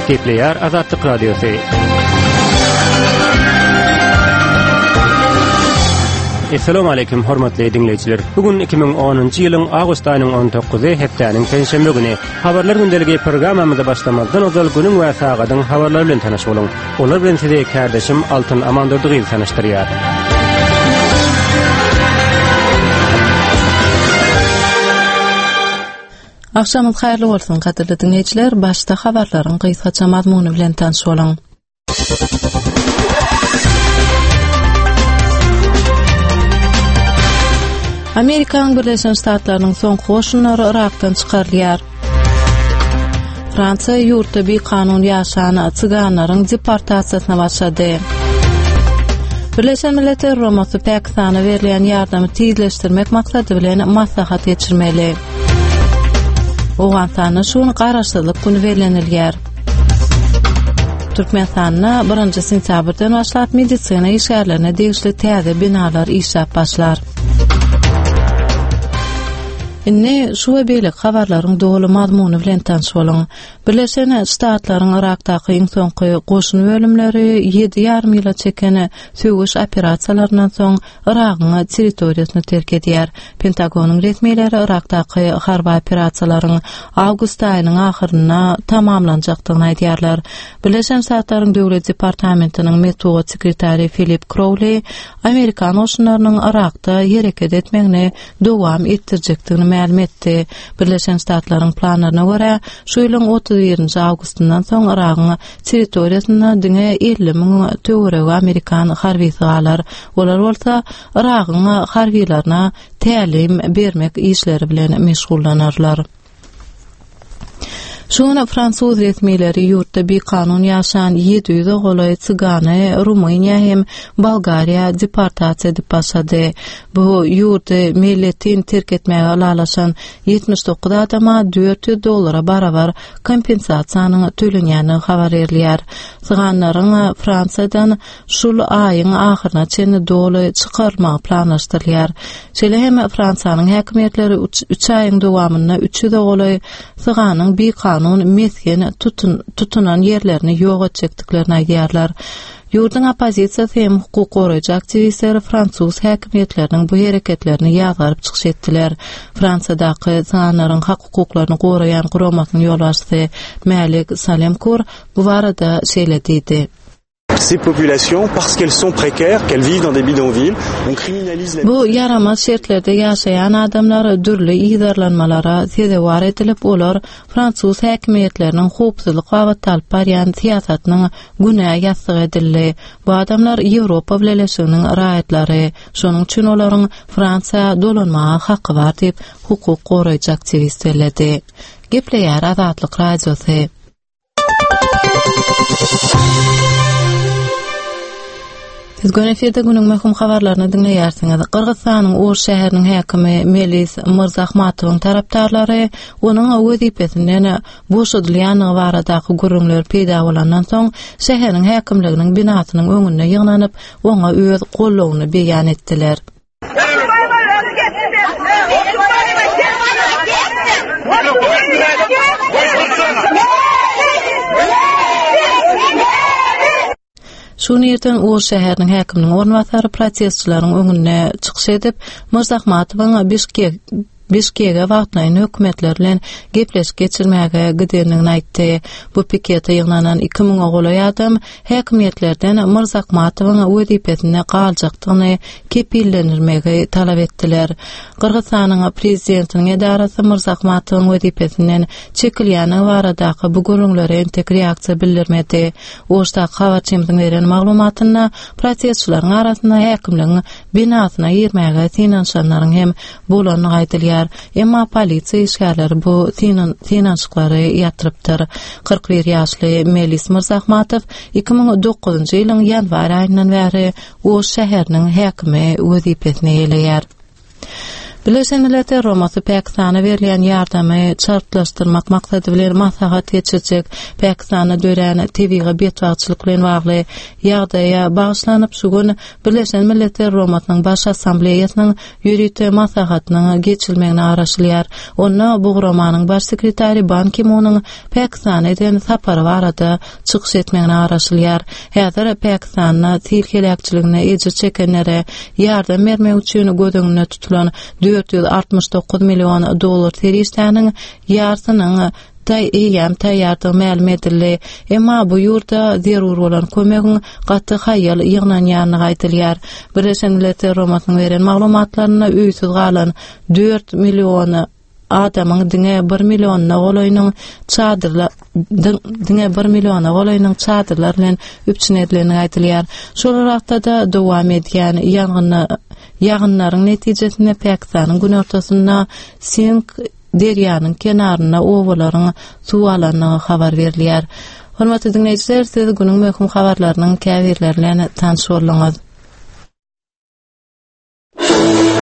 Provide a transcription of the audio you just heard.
Gepleýär Azatlyk Radiosy. Assalamu alaykum hormatly diňleýjiler. Bu gün 2010-njy ýylyň awgust aýynyň 19-y hepdäniň penşenbe güni. Habarlar gündeligi programmamyza başlamazdan ozal günüň we sagadyň habarlary bilen tanyş boluň. Olar bilen sizi kärdeşim Altyn Amandurdy gyzy tanyşdyrýar. Agşamyňyz haýyrly bolsun, gadyrly diňleýjiler! Başda habarlaryň gysgaça mazmuny bilen tanyş boluň. Amerikanyň Birleşen Ştatlarynyň soňky goşunlary Yrakdan çykarylýar. Fransiýa ýurtda bikanun ýaşan cyganlaryň deportasiýasyna başlady. Birleşen Milletler Guramasy Pakistana berilýän ýardamy tizleşdirmek maksady bilen maslahat geçirmeli. Owganystanda şu gün Garaşsyzlyk güni bellenilýär. Türkmenistanda birinji sentýabrdan başlap medisina işgärlerine degişli täze binalar işläp başlar. Indi şu we beýleki habarlaryň doly mazmuny bilen tanyş boluň. Birleşen Ştatlaryň Yrakdaky iň soňky goşun bölümleri ýedi ýarym ýyla çeken söweş operasiýalaryndan soň Yragyň territoriýasyny terk edýär. Pentagonyň resmileri Yrakdaky harby operasiýalaryň awgust aýynyň ahyrynda tamamlanjakdygyny aýdýarlar. Birleşen Ştatlaryň Döwlet departamentiniň metbugat sekretary Filip Krowli amerikan goşunlarynyň Yrakda hereket etmegini dowam etdirjekdigini mälim etdi. Birleşen Ştatlaryň planlaryna görä, şu ýylyň 31-nji awgustyndan soň Yragyň territoriýasynda diňe 50 müň töweregi amerikan harbysy galar. Olar bolsa Yragyň harbylaryna tälim bermek işleri bilen meşgullanarlar. Şu gün fransuz resmileri ýurtda bikanun ýaşan 700-e golaý cygany Rumyniýa hem Bolgariýa deportasiýa edip başlady. Bu ýurdy meýletin terk etmäge ylalaşan 79 adama 400 dollara barabar kompensasiýanyň tölenýändigi habar berilýär. Syganlaryň Fransiýadan şul aýyň ahyryna çenli doly çykarylmagy planlaşdyrylýar. Şeýle hem Fransiýanyň häkimiýetleri üç aýyň dowamynda 300-e golaý syganyň bikanun mesgen tutunan ýerlerini ýok etjekdiklerini aýdýarlar. Ýurduň oppozisiýasy hem hukuk goraýjy aktiwistleri fransuz häkimiýetleriniň bu hereketlerini ýazgaryp çykyş etdiler. Fransiýadaky syganlaryň hak-hukuklaryny goraýan guramasynyň ýolbaşçysy Mälik Salemkur bu barada şeýle diýdi. Ces populations, parce qu'elles sont précaires, qu'elles vivent dans des bidonvilles, on criminalise la Bu ýaramaz şertlerde ýaşaýan adamlar dürli yzarlanmalara sezewar edilip, olar fransuz häkimiýetleriniň howpsuzlyk babatda alyp barýan syýasatynyň günä ýassygy edildi. Bu adamlar Ýewropa Bileleşiginiň raýatlary, şonuň üçin olaryň Fransiýa dolanmaga haky bar diýip, hukuk goraýjy aktiwist belledi. Gepleýär Azatlyk Radiosy. Siz göni efirde günüň möhüm habarlaryny diňleýärsiňiz. Gyrgyzystanyň Oş şäheriniň häkimi Melis Myrzahmatowyň tarapdarlary onuň wezipesinden boşadylýandygy baradaky gürrüňler peýda bolandan soň, şäheriň häkimliginiň binasynyň öňünde ýygnanyp, oňa öz goldawyny beýan etdiler. Şu gün irden Oş şäheriniň häkiminiň orunbasary protestçileriň öňünde çykyş edip, Myrzahmatowyň Bişkek Bişkege wagtlaýyn hökümetler bilen gepleşik geçirmäge gidendigini aýtdy. Bu pikete ýygnanan iki müňe golaý adam häkimiýetlerden Myrzakmatowyň wezipesinde galjakdygyny kepillendirmegi talap etdiler. Gyrgyzystanyň prezidentiniň edarasy Myrzakmatowyň wezipesinden çekilýändigi baradaky bu gürrüňlere entek reaksiýa bildirmedi. Oşdaky habarçymyzyň beren maglumatynda protestçileriň arasynda häkimligiň binasyna girmäge synanyşanlaryň hem bolandygy aýdylýar. Emma polisiýa işgärleri bu synanyşyklary ýatyrypdyr. 41 ýaşly Melis Myrzahmatow 2009-njy ýylyň ýanwar aýyndan bäri Oş şäheriniň häkimi wezipesini eýeleýär. Birleşen Milletler Guramasy Pakistana berilýän ýardamy çaltlaşdyrmak maksady bilen maslahat geçirjek. Pakistanda dörän tebigy betbagtçylyk bilen bagly ýagdaýa bagyşlanyp şu gün Birleşen Milletler Guramasynyň Baş Assambleýasynyň ýörite maslahatynyň geçirilmegine garaşylýar. Onda bu guramanyň Baş sekretary Ban Ki-munyň Pakistana eden sapary barada çykyş etmegine garaşylýar. Häzir Pakistanda sil heläkçiliginde ejir çekenlere ýardam bermek üçin göz öňünde tutulan 469 million dollar serişdäniň ýarsynyň eýýäm taýýardygy mälim edildi. Emma bu ýurda zerur bolan kömegiň gaty haýal ýygnanýandygy aýdylýar. Birleşen Milletler Guramasynyň beren maglumatlarynda öýsüz galan 4 million adamyň diňe bir millionyna golaýynyň çadyrlar diňe bir milliona golaýynyň çadyrlar bilen üpjün edilendigi aýdylýar. Şol bir wagtda-da dowam edýän ýangyna ýagynlaryň netijesinde Pakistanyň günortasynda Sink derýanyň kenarynda obalaryň suw alandygy habar berilýär. Hormatly diňleýjiler, siz günüň möhüm habarlarynyň käbirleri bilen tanyş bolduňyz.